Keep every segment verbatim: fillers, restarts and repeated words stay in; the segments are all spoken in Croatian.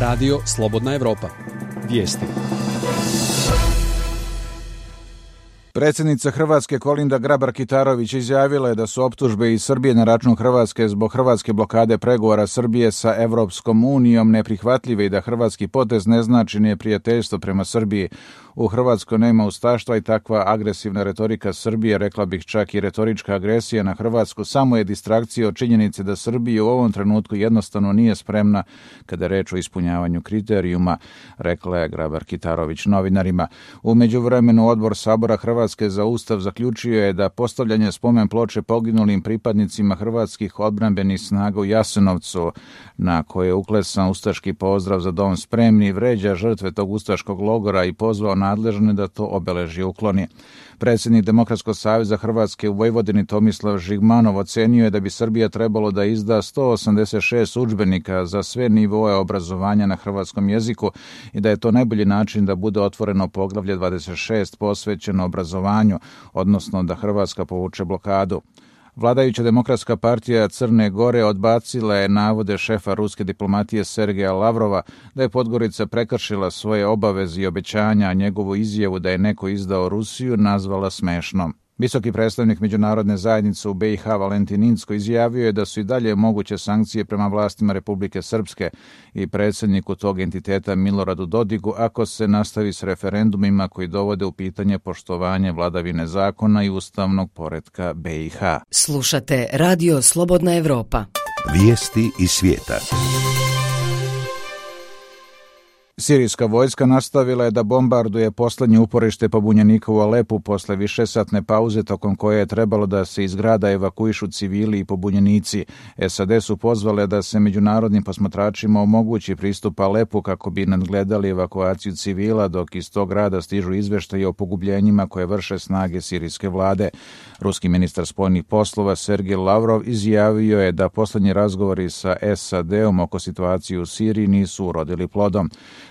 Radio Slobodna Evropa. Vijesti. Predsjednica Hrvatske Kolinda Grabar-Kitarović izjavila je da su optužbe iz Srbije na račun Hrvatske zbog hrvatske blokade pregovora Srbije sa Evropskom unijom neprihvatljive i da hrvatski potez ne znači neprijateljstvo prema Srbiji. U Hrvatskoj nema ustaštva i takva agresivna retorika Srbije, rekla bih čak i retorička agresija na Hrvatsku, samo je distrakcija od činjenice da Srbija u ovom trenutku jednostavno nije spremna kada je reč o ispunjavanju kriterijuma, rekla je Grabar-Kitarović novinarima. U međuvremenu Odbor Sabora Hrvatske za Ustav zaključio je da postavljanje spomen ploče poginulim pripadnicima hrvatskih odbrambenih snaga u Jasenovcu, na koje je uklesan ustaški pozdrav za dom spremni, vređa žrtve tog ustaškog logora i pozvao nadležne da to obeležje ukloni. Predsjednik Demokratskog saveza Hrvatske u Vojvodini Tomislav Žigmanov ocenio je da bi Srbija trebalo da izda sto osamdeset šest udžbenika za sve nivoe obrazovanja na hrvatskom jeziku i da je to najbolji način da bude otvoreno poglavlje dvadeset šest posvećeno obrazovanju, odnosno da Hrvatska povuče blokadu. Vladajuća Demokratska partija Crne Gore odbacila je navode šefa ruske diplomatije Sergeja Lavrova da je Podgorica prekršila svoje obaveze i obećanja, a njegovu izjavu da je neko izdao Rusiju nazvala smešnom. Visoki predstavnik međunarodne zajednice u B i H Valentin Incko izjavio je da su i dalje moguće sankcije prema vlastima Republike Srpske i predsjedniku tog entiteta Miloradu Dodigu ako se nastavi s referendumima koji dovode u pitanje poštovanje vladavine zakona i ustavnog poretka B i H. Slušate Radio Slobodna Evropa. Vijesti iz svijeta. Sirijska vojska nastavila je da bombarduje poslednje uporište pobunjenika u Alepu posle višesatne pauze tokom koje je trebalo da se iz grada evakuišu civili i pobunjenici. S A D su pozvale da se međunarodnim posmatračima omogući pristup Alepu kako bi nadgledali evakuaciju civila, dok iz tog grada stižu izveštaji o pogubljenjima koje vrše snage sirijske vlade. Ruski ministar spoljnih poslova Sergej Lavrov izjavio je da poslednji razgovori sa S A D-om oko situacije u Siriji nisu urodili plodom.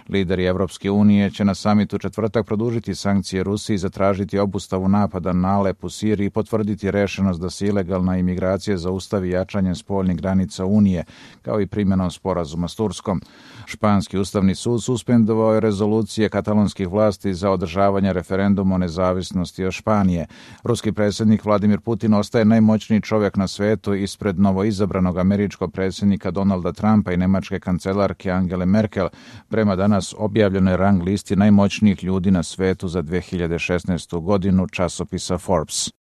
Lideri Evropske unije će na samitu četvrtak produžiti sankcije Rusiji, zatražiti obustavu napada na Alep u Siriji i potvrditi rešenost da se ilegalna imigracija zaustavi jačanjem spoljnih granica Unije, kao i primjenom sporazuma s Turskom. Španski ustavni sud suspendovao je rezolucije katalonskih vlasti za održavanje referenduma o nezavisnosti od Španije. Ruski predsjednik Vladimir Putin ostaje najmoćniji čovjek na svetu ispred novoizabranog američkog predsjednika Donalda Trumpa i nemačke kancelarke Angele Merkel, prema danas objavljenoj rang listi najmoćnijih ljudi na svetu za dve hiljade šesnaestu godinu časopisa Forbes.